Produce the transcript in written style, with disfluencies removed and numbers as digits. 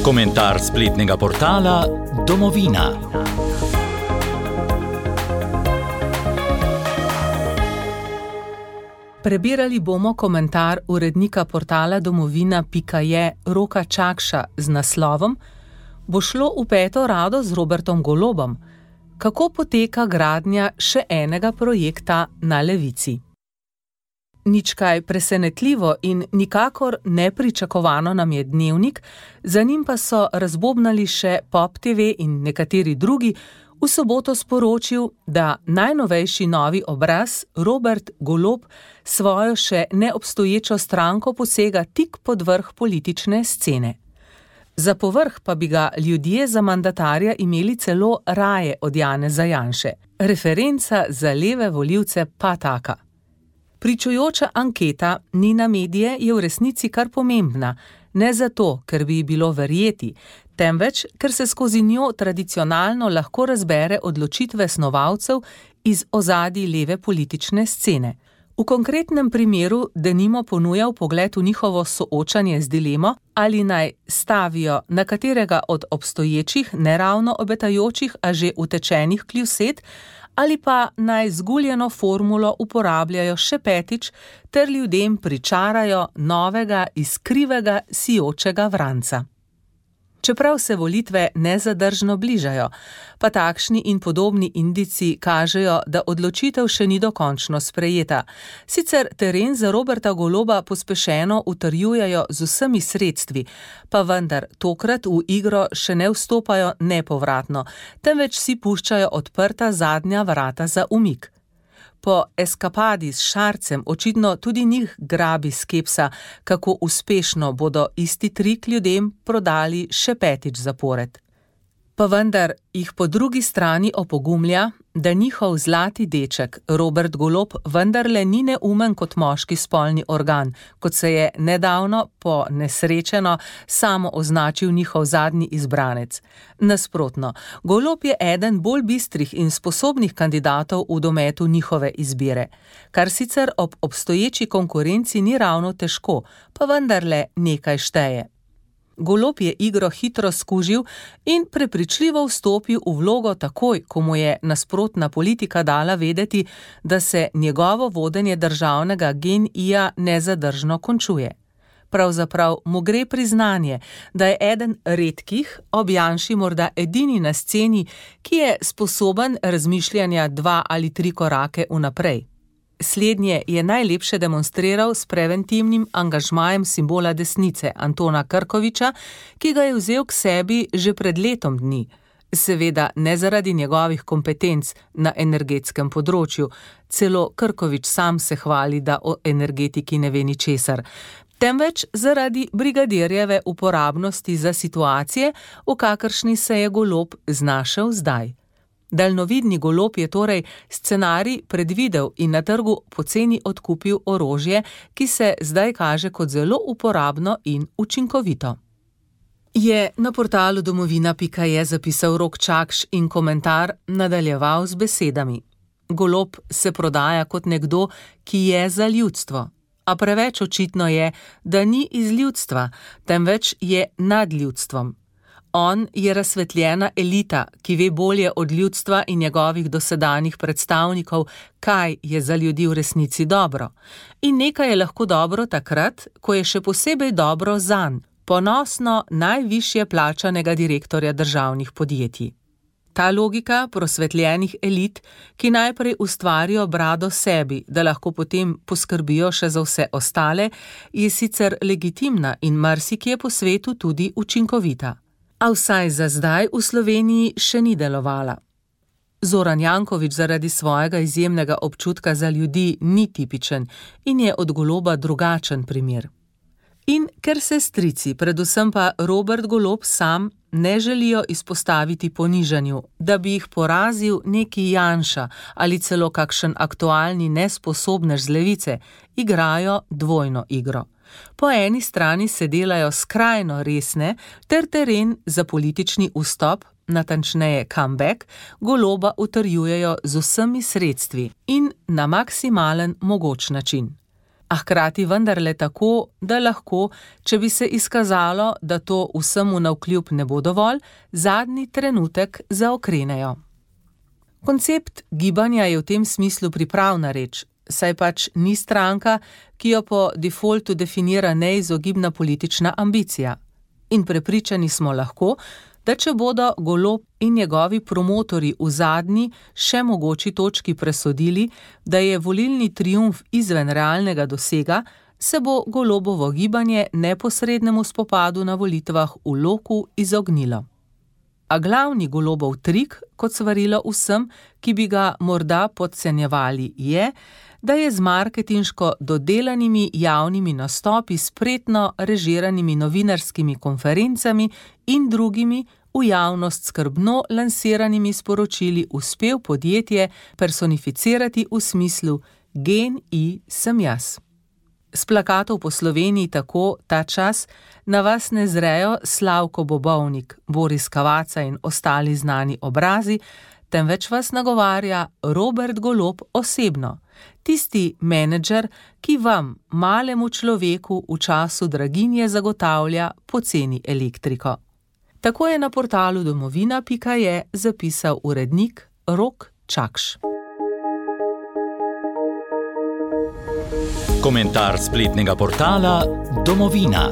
Komentar spletnega portala Domovina. Prebirali bomo komentar urednika portala domovina.je Roka Čakša z naslovom Bo šlo v peto rado z Robertom Golobom? Kako poteka gradnja še enega projekta na levici? Nič kaj presenetljivo in nikakor nepričakovano nam je Dnevnik, za njim pa so razbobnali še Pop TV in nekateri drugi, v soboto sporočil, da najnovejši novi obraz Robert Golob svojo še neobstoječo stranko posega tik pod vrh politične scene. Za povrh pa bi ga ljudje za mandatarja imeli celo raje od Janeza Janše. Referenca za leve volivce pa taka. Pričujoča anketa Nina Medije je v resnici kar pomembna, ne zato, ker bi bilo verjeti, temveč, ker se skozi njo tradicionalno lahko razbere odločitve snovalcev iz ozadij leve politične scene. V konkretnem primeru denimo ponuja vpogled v njihovo soočanje z dilemo, ali naj stavijo na katerega od obstoječih, neravno obetajočih, a že utečenih kljused, ali pa naj zguljeno formulo uporabljajo še petič ter ljudem pričarajo novega, iskrivega, sijočega vranca. Čeprav se volitve nezadržno bližajo, pa takšni in podobni indici kažejo, da odločitev še ni dokončno sprejeta. Sicer teren za Roberta Goloba pospešeno utrjujejo z vsemi sredstvi, pa vendar tokrat v igro še ne vstopajo nepovratno, temveč si puščajo odprta zadnja vrata za umik. Po eskapadi s Šarcem očitno tudi njih grabi skepsa, kako uspešno bodo isti trik ljudem prodali še petič zapored. Pa vendar jih po drugi strani opogumlja, da njihov zlati deček Robert Golob vendarle ni neumen kot moški spolni organ, kot se je nedavno po nesrečeno samo označil njihov zadnji izbranec. Nasprotno, Golob je eden bolj bistrih in sposobnih kandidatov v dometu njihove izbire, kar sicer ob obstoječi konkurenci ni ravno težko, pa vendarle nekaj šteje. Golob je igro hitro skužil in prepričljivo vstopil v vlogo takoj, ko mu je nasprotna politika dala vedeti, da se njegovo vodenje državnega GEN-I-ja nezadržno končuje. Pravzaprav mu gre priznanje, da je eden redkih, ob Janši morda edini na sceni, ki je sposoben razmišljanja 2 ali 3 korake vnaprej. Slednje je najlepše demonstriral s preventivnim angažmajem simbola desnice Antona Krkoviča, ki ga je vzel k sebi že pred letom dni. Seveda ne zaradi njegovih kompetenc na energetskem področju, celo Krkovič sam se hvali, da o energetiki ne ve ničesar, temveč zaradi brigadirjeve uporabnosti za situacije, v kakršni se je Golob znašel zdaj. Daljnovidni Golob je torej scenarij predvidel in na trgu poceni odkupil orožje, ki se zdaj kaže kot zelo uporabno in učinkovito. Je na portalu domovina.je zapisal Rok Čakš in komentar nadaljeval z besedami. Golob se prodaja kot nekdo, ki je za ljudstvo, a preveč očitno je, da ni iz ljudstva, temveč je nad ljudstvom. On je razsvetljena elita, ki ve bolje od ljudstva in njegovih dosedanjih predstavnikov, kaj je za ljudi v resnici dobro. In nekaj je lahko dobro takrat, ko je še posebej dobro zanj, ponosno najvišje plačanega direktorja državnih podjetij. Ta logika prosvetljenih elit, ki najprej ustvarijo brado sebi, da lahko potem poskrbijo še za vse ostale, je sicer legitimna in marsikje po svetu tudi učinkovita. A vsaj za zdaj v Sloveniji še ni delovala. Zoran Janković zaradi svojega izjemnega občutka za ljudi ni tipičen in je od Goloba drugačen primer. In ker se strici, predvsem pa Robert Golob sam, ne želijo izpostaviti ponižanju, da bi jih porazil neki Janša ali celo kakšen aktualni nesposobnež z levice, igrajo dvojno igro. Po eni strani se delajo skrajno resne ter teren za politični vstop, natančneje comeback, Goloba utrjujejo z vsemi sredstvi in na maksimalen mogoč način. a hkrati vendarle tako, da lahko, če bi se izkazalo, da to vsemu navkljub ne bo dovolj, zadnji trenutek zaokrenejo. Koncept gibanja je v tem smislu pripravna reč, saj pač ni stranka, ki jo po defaultu definira neizogibna politična ambicija. In prepričani smo lahko, da če bodo Golob in njegovi promotorji v zadnji, še mogoči točki presodili, da je volilni triumf izven realnega dosega, se bo Golobovo gibanje neposrednemu spopadu na volitvah v Loku izognilo. A glavni Golobov trik, kot svarilo vsem, ki bi ga morda podcenjevali, je, da je z marketinško dodelanimi javnimi nastopi, spretno režiranimi novinarskimi konferencami in drugimi v javnost skrbno lansiranimi sporočili uspel podjetje personificirati v smislu GEN-I sem jaz. S plakatov po Sloveniji tako ta čas na vas ne zrejo Slavko Bobovnik, Boris Cavazza in ostali znani obrazi, temveč vas nagovarja Robert Golob osebno, tisti menedžer, ki vam, malemu človeku, v času draginje zagotavlja poceni elektriko. Tako je na portalu domovina.je zapisal urednik Rok Čakš. Komentar spletnega portala Domovina.